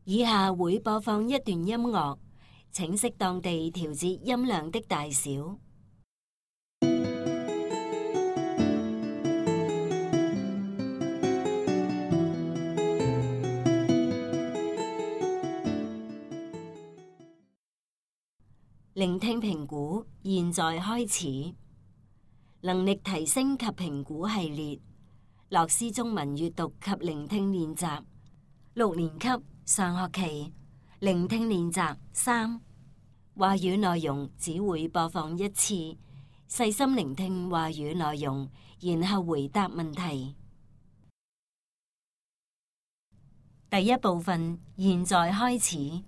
以下會播放一段音樂，請適當地調節音量的大小。聆聽評估，現在開始。能力提升及評估系列，樂思中文閱讀及聆聽練習，6年級上學期聆聽練習3。話語內容只會播放一次，細心聆聽話語內容，然後回答問題。第一部分，現在開始。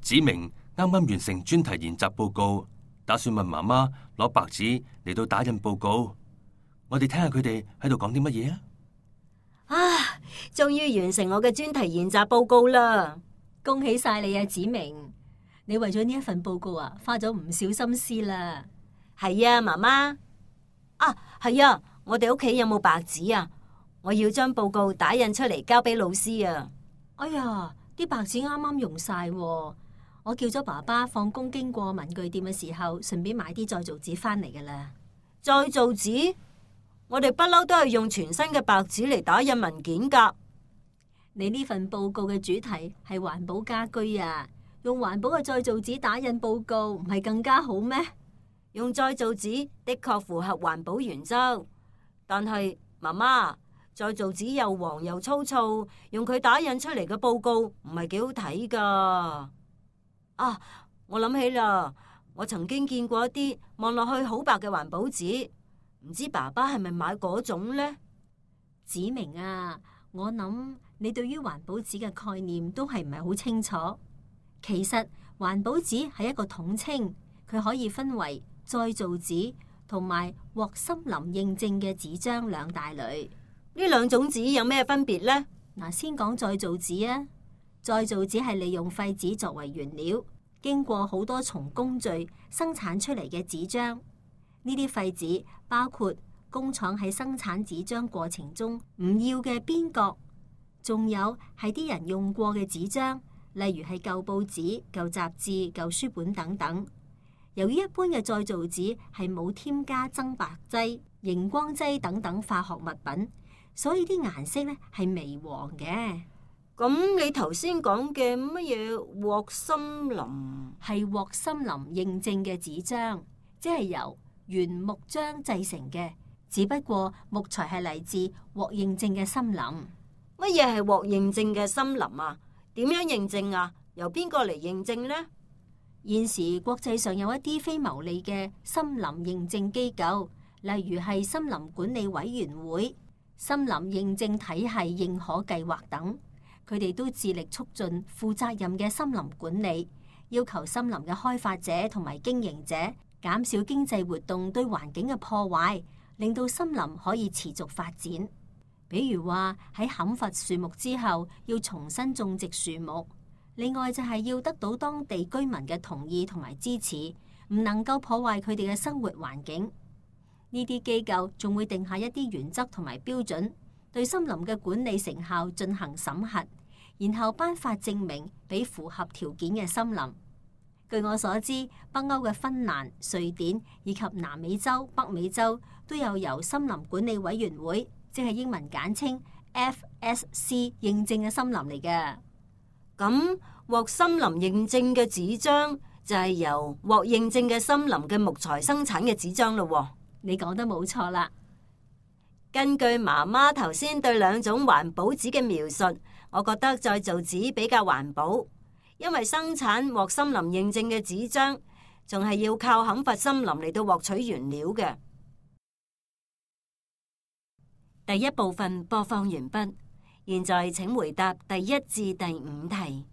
子明啱啱完成專題研習報告，打算問媽媽攞白紙嚟到打印報告。我哋聽下佢哋喺度講啲乜嘢啊！啊，終於完成我嘅專題研習報告啦！恭喜晒你啊，子明！你為咗呢一份報告啊，花咗唔少心思啦。係啊，媽媽。啊，係啊，我哋屋企有冇白紙啊？我要將報告打印出嚟交俾老師啊！哎呀，啲白紙啱啱用晒喎。我叫咗爸爸放工經過文具店嘅時候，順便買啲再造紙翻嚟噶啦。再造紙？我哋不嬲都係用全新嘅白紙嚟打印文件噶。你呢份報告嘅主題係環保家居啊，用環保嘅再造紙打印報告唔係更加好咩？用再造紙的確符合環保原則，但係媽媽，再造紙又黃又粗糙，用佢打印出嚟嘅報告唔係幾好睇噶。啊！我諗起啦，我曾經見過一啲望落去好白嘅環保紙，唔知爸爸係咪買嗰種呢？子明啊，我諗你對於環保紙嘅概念都係唔係好清楚。其實環保紙係一個統稱，佢可以分為再造紙同埋獲森林認證嘅紙張兩大類。呢兩種紙有咩分別呢？嗱，先講再造紙啊。再造紙係利用廢紙作為原料，經過好多重工序生產出嚟嘅紙張。呢啲廢紙包括工廠喺生產紙張過程中唔要嘅邊角，仲有係啲人用過嘅紙張，例如係舊報紙、舊雜誌、舊書本等等。由於一般嘅再造紙係冇添加增白劑、熒光劑等等化學物品，所以啲顏色咧係微黃嘅。咁你頭先講嘅乜嘢獲森林？係獲森林認證嘅紙張，即係由原木漿製成嘅，只不過木材係嚟自獲認證嘅森林。乜嘢係獲認證嘅森林啊？點樣認證啊？由邊個嚟認證呢？現時國際上有一啲非牟利嘅森林認證機構，例如係森林管理委員會、森林認證體系認可計劃等。佢哋都致力促進負責任嘅森林管理，要求森林嘅開發者同埋經營者減少經濟活動對環境嘅破壞，令到森林可以持續發展。比如話喺砍伐樹木之後，要重新種植樹木。另外就係要得到當地居民嘅同意同埋支持，唔能夠破壞佢哋嘅生活環境。呢啲機構仲會定下一啲原則同埋標準，對森林嘅管理成效進行審核，然後頒發證明俾符合條件嘅森林。據我所知，北歐嘅芬蘭、瑞典以及南美洲、北美洲都有由森林管理委員會，即係英文簡稱 FSC 認證嘅森林嚟嘅。咁獲森林認證嘅紙張就係由獲認證嘅森林嘅木材生產嘅紙張咯。你講得冇錯啦。根據媽媽頭先對兩種環保紙嘅描述，我覺得再造紙比較環保，因為生產獲森林認證嘅紙張，仲係要靠砍伐森林嚟到獲取原料嘅。第一部分播放完畢，現在請回答第1至第5題。